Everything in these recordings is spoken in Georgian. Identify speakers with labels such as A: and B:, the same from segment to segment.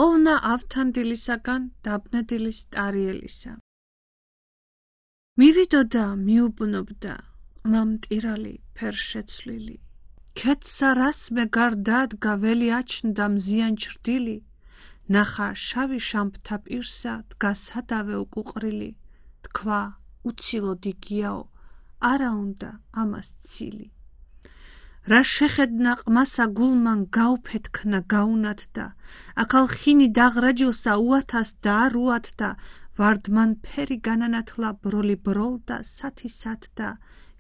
A: ოვნა ავთანდილისაგან დაბნედილის ტარიელისა. მივიდოდა მიუბნობდა მამტირალი ფერშეცვლილი. ქეთსა რასმე გარდადგა ველი აჩნდა მზიან ჩრდილი. ნახა შავი შამფთა პირსა დგა სადავე უკუყრილი. თქვა უცილო დიგიაო არა უნდა ამას ცილი. რა შეხედნა ყმასა გულმან გაუფეთქნა გაუნათდა. აქალ ხინი დაღრაჯილსა უათას და არ უათდა. ვარდმან ფერი განანათლა ბროლი ბროლდა სათი სათდა.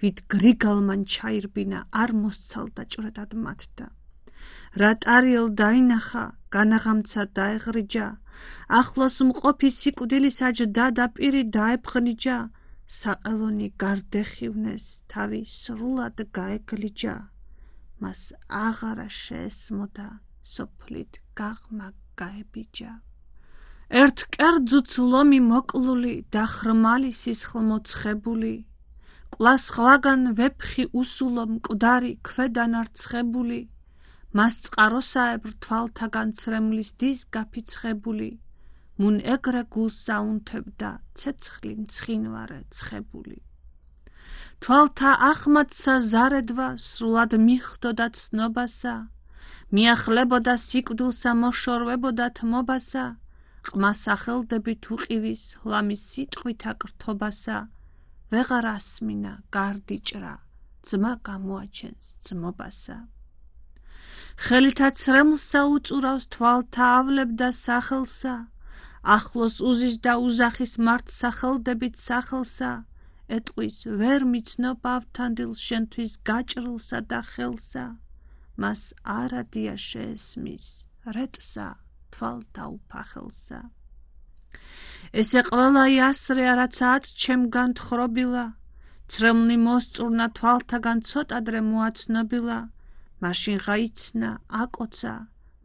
A: ვით გრიგალმან ჩაირბინა არ მოსცალდა ჭრედად მათდა. რა ტარიელ დაინახა განაღამცა დაეღრიჯა. ახლოს მყოფი სიკვდილის აჯდა და პირი დაეფღნიჯა. საყელონი გარდეხივნეს თავი სრულად გაეგლიჯა. მას აღარა შეესმოდა სოფლით გაღმა გაებიჯა. ერთ კერძუც ლომი მოკლული და ხრმალი სისხლმოცხებული. ყლას ხვაგან ვეფხი უსულო მკვდარი ქვედან არცხებული. მას წყაროსაებრ თვალთაგან ცრემლის დის გაფიცხებული. მუნ ეგრე გულსა უნთებდა ცეცხლი მცხინვარე ცხებული. თვალთა ახმათსა ზარედვა სრულად მიხვდოდა ცნობასა. მიახლებოდა სიკვდილსა მოშორვებოდა თმობასა. ყმას ახელდებით უყივის ლამის სიტყვით აკრთობასა. ვეღარ ასმინა გარდიჭრა ძმა გამოაჩენს ძმობასა. ხელითა ცრემლსა უწურავს თვალთა ავლებდა სახელსა. ახლოს უზის და უზახის მართ სახელდებით სახელსა. ეტყვის ვერ მიცნობ ავთანდილს შენთვის გაჭრილსა და ხელსა. მას არადია შეესმის რეტსა თვალთა უფახელსა. ესე ყველა იასრე არაცაც ჩემგან თხრობილა. ცრემლი მოსწურნა თვალთაგან ცოტადრე მოაცნობილა. მაშინ ღაიცნა აკოცა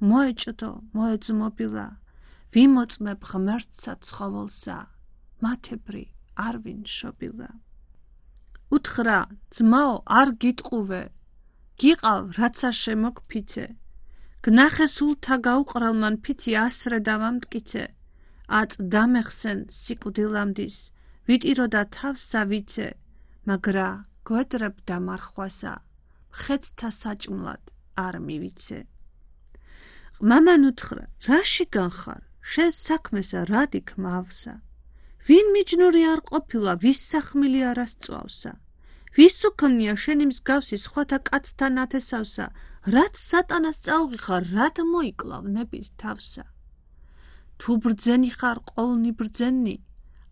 A: მოეჭდო მოეძმობილა. ვიმოწმებ ღმერთსა ცხოველსა მათებრი არ ვინ შობილა. უთხრა ძმაო არ გიტყუვე გიყავ რაცა შემოგფიცე. გნახე სულთა გაუყრალმან ფიცი ასრე დავამტკიცე. აწ დამეხსენ სიკვდილამდის ვიტიროდა თავსა ვიცე. მაგრა გვედრებდა მარხვასა ხეთთა საჭმლად არ მივიცე. ყმამან უთხრა რაში განხარ შენ საქმესა რადიქ მავსა. ვინ მიჯნური არ ყოფილა ვის სახმილი არასწვავსა. ვის უქმნია შენი მსგავსი სხვათა კაცთა ნათესავსა. რაც სატანას წაუღიხარ რად მოიკლავ ნების თავსა. თუ ბრძენი ხარ ყოლნი ბრძენი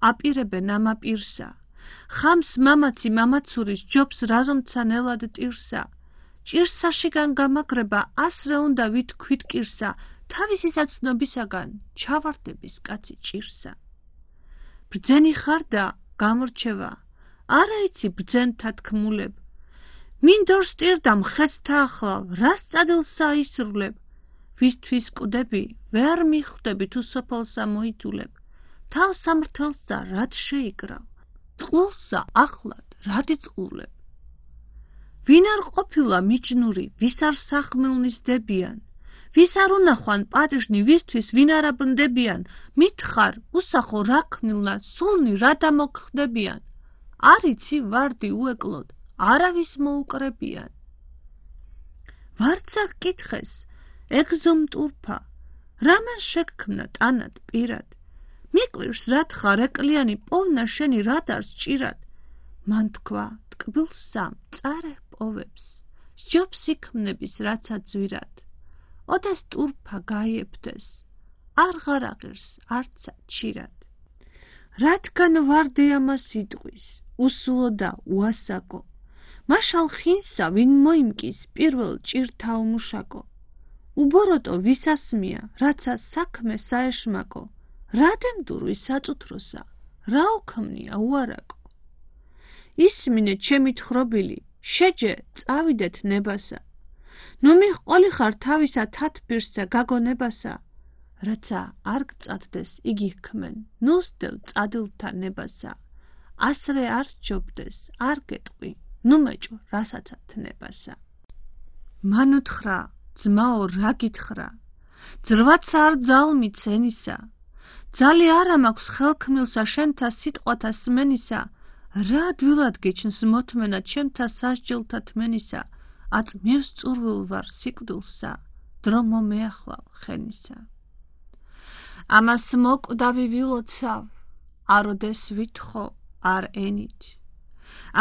A: აპირებენ ამ აპირსა. ხამს მამაცი მამაცურის ჯობს რაზომცა ნელად ტირსა. ჭირსაშიგან გამაგრება ასრე უნდა ვითქვით კირსა. თავისი საცნობისაგან ჩავარდების კაცი ჭირსა. ბრძენი ხარ და გამორჩევა არა იცი ბრძენთა თქმულებ. მინდორს ტირდა მხეცთა ახლავ რას წადილსა ისრულებ. ვისთვის კვდები ვერ მიხვდები თუ სოფელსა მოიძულებ. თავ სამრთელსა რად შეიკრავ წყლულსა ახლად რად იწყლულებ. ვინ არ ყოფილა მიჯნური ვის არ სახმილნის დებიან. ვის არ უნახვან პატიჟნი ვისთვის ვინ არა ბნდებიან. მითხარ უსახო რა ქმნილნა სულნი რა დამოგხდებიან. არ იცი ვარდი უეკლოდ არავის მოუკრებიან. ვარცა გკითხეს ეგზომტურფა რამან შეგქმნა ტანად პირად. მიკვირს რათხარ ეკლიანი პოვნა შენი რადარს ჭირად. მან თქვა ტკბილსა მწარე პოვებს სჯობს იქმნების რაცა ძვირად. ოდეს ტურფა გაიებდეს არ ღარაღირს არცა ჩირად. რადგან ვარდი ამას იტყვის უსულო და უასაკო. მაშალ ხინსა ვინ მოიმკის პირველ ჭირთა უმუშაკო. უბოროტო ვისასმია რაცა საქმე საეშმაკო. რადემდურვის საწუთროსა რა უქმნია უარაკო. ისმინე ჩემი თხრობილი შეჯე წავიდეთ ნებასა. ნუ მიჰყოლი ხარ თავისა თათბირსა გაგონებასა. რაცა არ გწადდეს იგი ჰქმენ ნუსდევ წადილთა ნებასა. ასრე არ სჯობდეს არ გეტყვი ნუ მეჭო რასაცა თნებასა. მან უთხრა ძმაო რა გითხრა. ძრვაც არ ძალმით ენისა, ძალი არა მაქვს ხელქმილსა შენთა სიტყვათა სმენისა, რა დვილად გიჩნს მოთმენა ჩემთა სასჯელთა თმენისა, აწ მივსწურვილ ვარ სიკვდილსა, დრო მომეახლავ ხენისა. ამას მოკვდავი ვილოცავ, აროდეს ვითხოვ, არ ენით.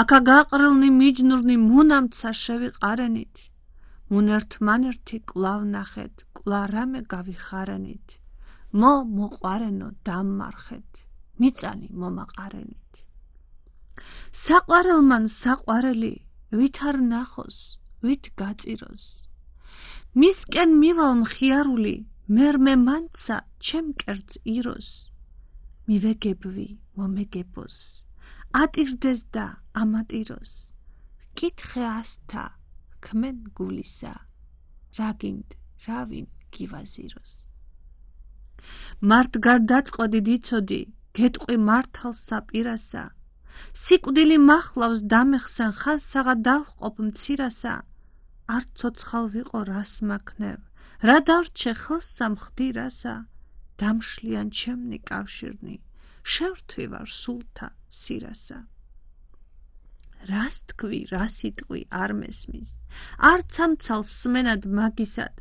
A: აკა გაყრილნი მიჯნურნი მუნამცა შევიყარენით, მუნერთმანერთი კვლავ ნახეთ, კვლავ რამე გავიხარენით, მოყვარენო დამმარხეთ, მიწანი მომაყარენით. საყვარელმან საყვარელი, ვით არ ნახოს, ვით გაწიროს. მისკენ მივალ მხიარული, მერმე მანცა ჩემ კერძ იროს. მივეგებვი მომეგებოს, ატირდეს და ამატიროს. კითხე ასთა, ქმენ გულისა, რაგინდ რავინ გივაზიროს. მართ გარდაწყოდი დიცოდი, გეტყვი მართალსა პირასა, სიკვდილი მახლავს დამეხსენ ხანსაღა დავჰყოფ მცირასა, არ ცოცხალ ვიყო რას მაქნევ, რა დავრჩე ხელსა მხდირასა, დამშლიან ჩემნი კავშირნი, შევრთვი ვარ სულთა სირასა. რას თქვი, რა სიტყვი არ მესმის, არც ამცალს სმენად მაგისად,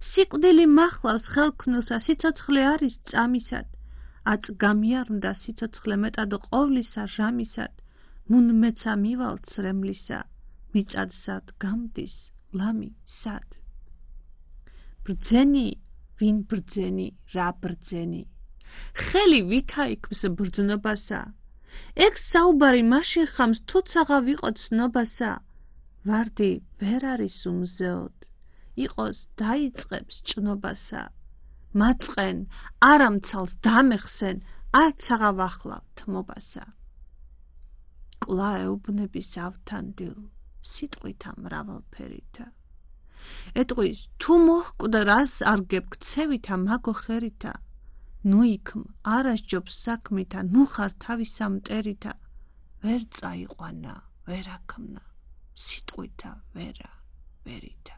A: სიკვდილი მახლავს ხელქმნილსა, სიცოცხლე არის წამისად, აწ გამიარნდა სიცოცხლე მეტად ყოვლისა ჟამისად, მუნ მეცა მივალ ცრემლისა, მიწადსად გამდის ლამი სად. ბრძენი, ვინ ბრძენი, რა ბრძენი, ხელი ვითაიქმს ბრძნობასა, ეგ საუბარი მაშინ ხამს თუცაღა ვიყო ცნობასა, ვარდი ვერ არის უმზეოდ, იყოს დაიწყებს ჭნობასა, მაწყენ, არამცალს დამეხსენ, არცაღა ვახლავ თმობასა. კვლავ ეუბნების ავთანდილ, სიტყვითა მრავალფერითა. ეტყვის, თუ მოჰკვდა რას არ გებქცევითა მაგო ხერითა, ნუ იქმ არასჯობს საქმითა, ნუ ხარ თავისა მტერითა, ვერ წაიყვანა, ვერ აქმნა, სიტყვითა ვერა, ვერითა.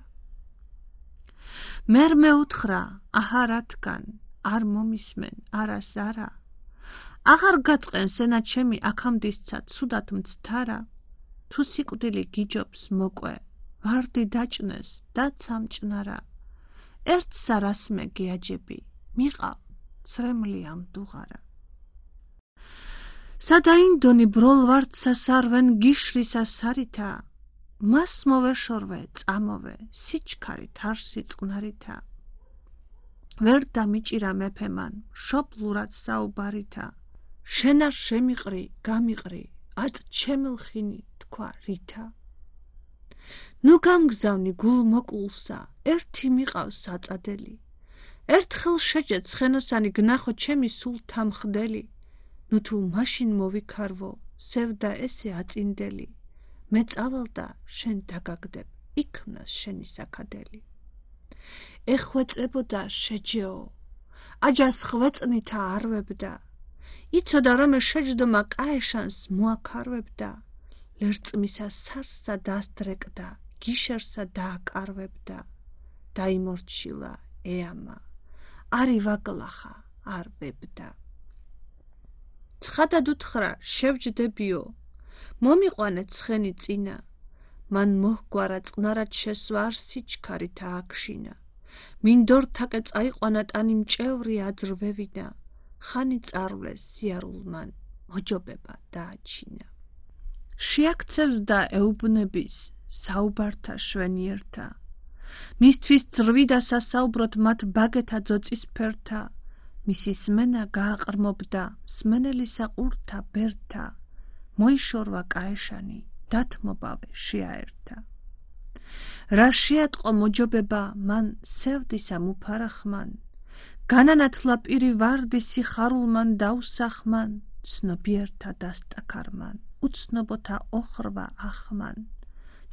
A: მერმე უთხრა, აჰა რათგან, არ მომისმენ, არას არა, აღარ გაწყენ სენა ჩემი აქამდისცა ცუდად მცთარა, თუ სიკვდილი გიჯობს მოკვე, ვარდი დაჭნეს და ცამჭნარა, ერთ სარასმე გეაჯები, მიყავ ცრემლი ამ დუღარა. სადაინდონი ბროლვარდსა სარვენ გიშრისა სარითა, მას მოვეშორვე, წამოვე, სიჩქარით არ სიწყნარითა. ვერ დამიჭირა მეფემან, შობლურად საუბარითა, შენ არ შემიყრი, გამიყრი, აწ ჩემილხინი თქვა ρίთა. ნუ გამგზავნი გულ მოკლულსა, ერთი მიყავს საწადელი, ერთხელ შეჯეთ ცხენოსანი გნახო ჩემი სულთა მხდელი, ნუ თუ მაშინ მოვიქარვო, სევდა ესე აწინდელი, მე წავალდა შენ დაგაგდებ, იქმნას შენი საქადელი. ეხვეწებოდა შეჯეო, აჯას ხვეწნითა არვებდა, იცოდა რომე შეჯდომა კაეშანს მოაქარვებდა, ლერწმისა სარსსა დასდრეკდა, გიშერსა დააკარვებდა, დაიმორჩილა ეამა, არი ვაგლახა არ ვებდა. ცხადად უთხრა შევჯდებიო, მომიყვანე ცხენი წინა, მან მოჰგვარა წყნარად შესვა არ სიჩქარით ააქშინა, მინდორთაკე წაიყვანა ტანი მჭევრი აძრვევინა, ხანი წარვლეს სიარულმან, მოჯობება დააჩინა. შეაქცევს და ეუბნების საუბართა შვენიერთა, მისთვის ძრვიდა სასაუბროთ მათ ბაგეთა ძოწისფერთა, მისი სმენა გააყრმობდა სმენელისა ყურთა ბერთა, მოიშორვა კაეშანი, დათმობავე შეაერთა. რა შეატყო მოჯობება მან სევდისა მუფარახმან, განანათლა პირი ვარდი სიხარულმან დაუსახმან, ცნობიერთა დასტაქარმან, უცნობოთა ოხრვა ახმან,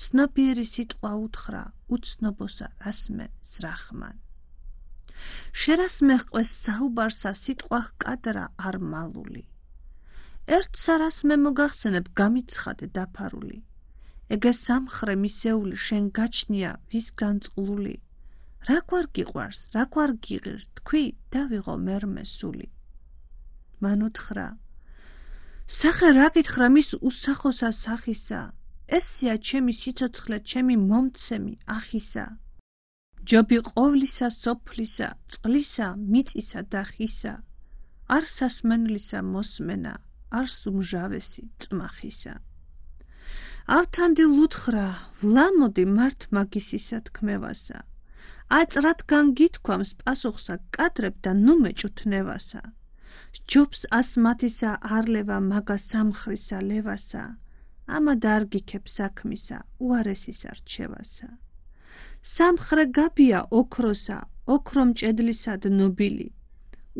A: ცნობიერი სიტყვა უთხრა, უცნობოსა რასმე ზრახმან. შერასმე ჰყვეს საუბარსა სიტყვა ჰკადრა არ მალული, ერთ სარასმე მოგახსენებ გამიცხადე დაფარული, ეგე სამხრე მისეული შენ გაჩნია ვის განწყლული, რა გვარ გიყვარს, რა გვარ გიღირს, თქვი და ვიღო მერმე სული. მან უთხრა, სახე რა გითხრა მის უსახოსა სახისა, ესია ჩემი სიცოცხლე, ჩემი მომცემი ახისა. ჯობი ყოვლისა სოფლისა, წყლისა, მიწისა და ხისა, არ სასმენლისა მოსმენა, არ სუმჟავესი წმახისა. ავთანდილ უთხრა, ვლამოდი მართ მაგისისა თქმევასა, აწრათგან გითქვამს პასუხსა კადრებ და ნუ მეჭუთნევასა. სჯობს ასმათისა არლევა მაგა სამხრისა ლევასა, ამა დარგიქებ საქმისა, უარესის არჩევასა. სამხრე გაბია ოქროსა, ოქრომჭედლისა დნობილი,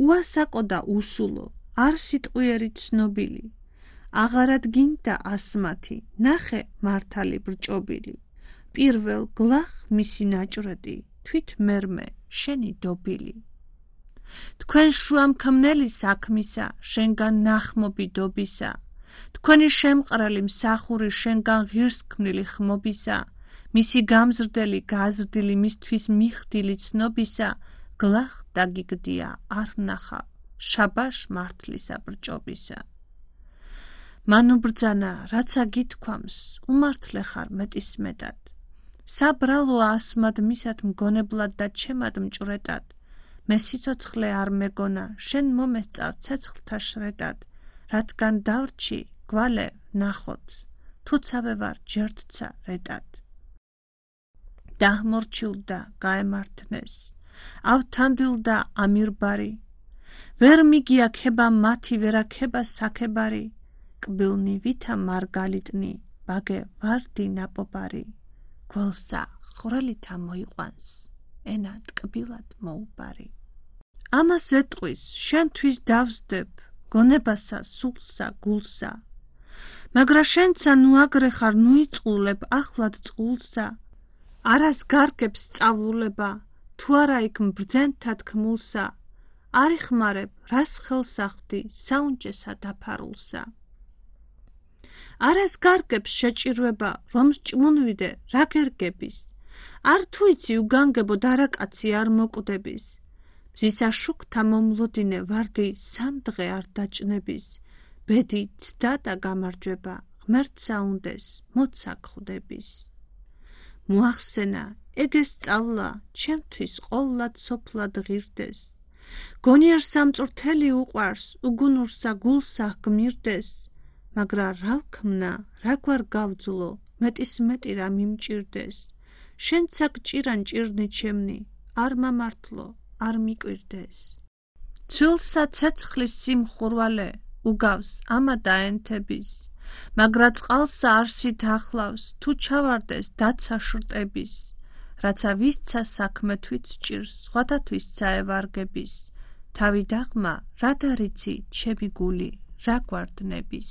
A: უასაკო და უსულო, არ სიტყვიერი ცნობილი, აღარად გინდა ასმათი, ნახე მართალი ბრჭობილი, პირველ გლახ მისი ნაჭრედი, თვით მერმე შენი დობილი. თქვენ შუამქმნელი საქმისა, შენგან ნახმობი დობისა, თქვენი შემყრელი მსახური შენგან ღირსქმნილი ხმობისა, მისი გამზრდელი გაზრდილი მისთვის მიხდილი ცნობისა, გლახ დაგიგდია არ ნახავ, შაბაშ მართლისა ბრჭობისა. მან უბრძანა, რაცა გითქვამს, უმართლე ხარ მეტისმეტად. საბრალო ასმად მისად მგონებლად და ჩემად მჭვრეტად, მე სიცოცხლე არ მეგონა, შენ მომესწარ ცეცხლთა შრედად, რადგან დავრჩი, გვალე ნახოთ, თუცავე ვარ ჯერთცა რედად. დაჰმორჩილდა გაემართნეს, ავთანდილდა ამირბარი, ვერ მიგია ქება მათი ვერაქება საქებარი, კბილნი ვითა მარგალიტნი, ბაგე ვარდი ნაპობარი, გველსა ხვრელითა მოიყვანს, ენა ტკბილად მოუბარი. ამას ეტყვის, შენთვის დავსდებ, გონებასა, სულსა, გულსა, მაგრა შენცა ნუ აგრე ხარ, ნუ იწყულებ ახლად წყულსა, არას გარგებს სწავლულება, თუ არა იქ მბრძენთა თქმულსა, არ იხმარებ, რას ხელს ახდი, საუნჯესა დაფარულსა. არას გარგებს შეჭირვება, რომ სჭმუნვიდე, რა გერგების, არ თუ იცი უგანგებო დარაკაცი არ მოკვდების, მზისა შუქთა მომლოდინე ვარდი სამდღე არ დაჭნების, ბედი ცდა და გამარჯვება, ღმერთსა უნდეს, მოცა გხვდების. მოახსენა, ეგ სწავლა, ჩემთვის ყოლად სოფლად ღირდეს, გონიერ სამწვრთელი უყვარს, უგუნურსა გულსა გმირდეს, მაგრა რა ვქმნა, რა გვარ გავძლო, მეტისმეტი რა მიმჭირდეს, შენცა გჭირან ჭირნი ჩემნი, არ მამართლო, არ მიკვირდეს. ცვილსა ცეცხლის სიმხურვალე, უგავს ამა დაენთების, მაგრა წყალსა არსით ახლავს, თუ ჩავარდეს დაცა შრტების, რაცა ვისცა საქმე თვით სჭირს, სხვათათვისცა ევარგების, თავი დაღმა, რა დარიცი, ჩემი გული, რა გვარდნების.